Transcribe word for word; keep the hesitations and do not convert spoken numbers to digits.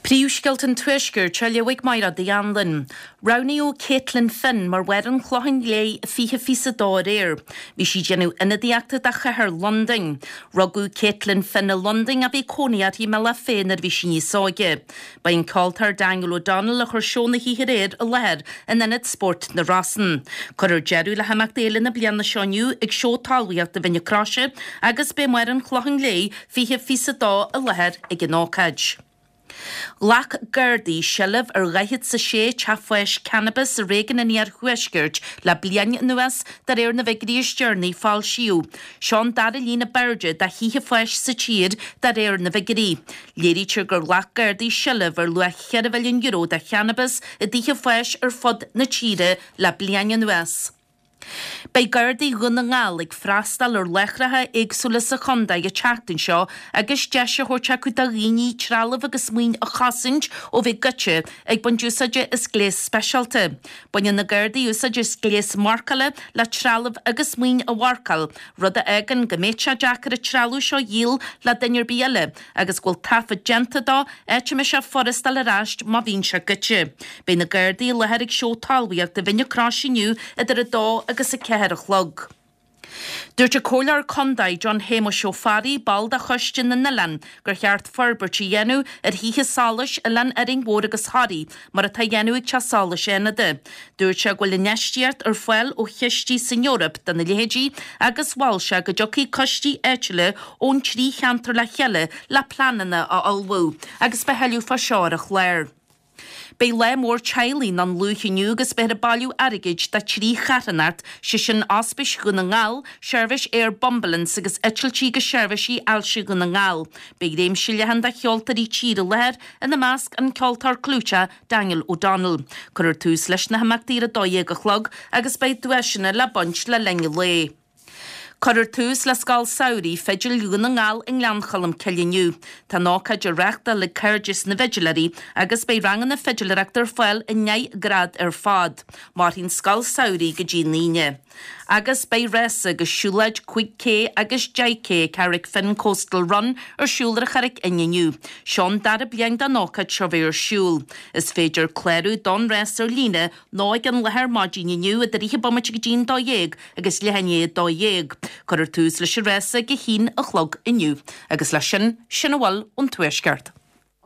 Príomhscéalta an Tuaiscirt á léamh ag Máire Uí Anluain. Roghnaíodh Caitlin Finn mar Mháire an Chlocháin Léith fiche fiche a dó aréir. Bhí sí ag déanamh ionadaíochta do chathair Londain. Rugadh Caitlin Finn i Londain ach bhí cónaí uirthi i mBealach Féich nuair a bhí sí níos óige. Ba é an ceoltóir Daniel O'Donnell a chuir seó na hoíche aréir i láthair in Ionad Spóirt na Rosann. Cuirfear deireadh le himeachtaí Fhéile na bliana seo inniu ag seó talmhaíochta Mhín na Croise agus beidh Máire an Chlocháin Léith fiche fiche a dó i láthair ag an ócáid. Ghlac Gardaí seilbh ar dhaichead 's a sé teach fáis cannabis i réigiún an Iarthuaiscirt le bliain anuas, de réir na bhfigiúirí is deireanaí a foilsíodh. Seo an dara líon ab airde de thithe fáis sa tír, de réir na bhfigiúirí. Léirítear gur ghlac Gardaí seilbh ar luach cheithre mhilliún euro de channabas i dtithe fáis ar fud na tíre le bliain anuas. Beidh Gardaí Dhún na nGall ag freastal ar láithreacha éagsúla sa chontae an tseachtain seo agus deis á thabhairt acu do dhaoine trealamh agus maoin a chosaint ó bheith goidte ag baint úsáide as gléas speisialta. Baineann na Gardaí úsáid as gléas marcála le trealamh agus maoin a mharcáil, rud a fhágann go mbeidh sé deacair an trealamh seo a dhíol le duine ar bith eile agus go bhfuil taifead déanta dó, áit a mbeidh sé furast fháil ar ais má bhíonn sé goidte. Beidh na Gardaí i láthair ag seó talmhaíochta Mhín na Croise inniu idir a dó agus a ceathair a chlog. Dúirt an Comhairleoir Contae John Shéamuis Ó Fearraigh, ball de Choiste na nOileán, gur cheart forbairt a dhéanamh ar thithe solais Oileán Árainn Mhór agus Thoraí, mar atá á dhéanamh ag Teach Solais Fhánada. Dúirt sé go bhfuil infheistíocht ar fáil ó chistí san Eoraip do na leithéidí agus mhol sé go dtiocfaidh coistí áitiúla ón trí cheantar le chéile le pleananna a ullmhú agus beidh tuilleadh fá seo ar an chlár. Beidh lá mór teaghlaigh i nDún Lúiche inniu agus beifear ag bailiú airgid do trí charthanacht, sé sin Ospís Dhún na nGall, Seirbhís Aer Bumbulance agus Eitiltí agus Seirbhísí Ailse Dhún na nGall. Beidh réimse leathan de cheoltóirí tíre i láthair, ina measc an ceoltóir clúiteach Daniel O'Donnell. Cuirfear tús leis na himeachtaí ar a dó dhéag a chlog agus beidh duaiseanna le baint le linn an lae. Cuirfear tús le Scoil Samhraidh Fidil Dhún na nGall i nGleann Cholm Cille inniu. Tá an ócáid á reáchtáil ag Cairdeas na bhFidiléirí agus beidh ranganna fidiléireachta ar fáil i ndeich ngrád ar fad. Mairfidh an Scoil Samhraidh go dtí an Aoine. Agus beidh rása agus siúlóid cúig K agus deich K Carrickfinn Coastal Run ar siúl ar an Charraic Fhinn inniu. Seo an dara bliain don ócáid seo bheith ar siúl. Is féidir clárú don rás ar líne nó ag an láthair maidin inniu idir fhiche bomaite go dtí an dó dhéag agus leath i ndiaidh a dó dhéag. Cuirfear tús leis an rása ag a haon a chlog inniu. Agus leis sin, sin a bhfuil ón Tuaisceart.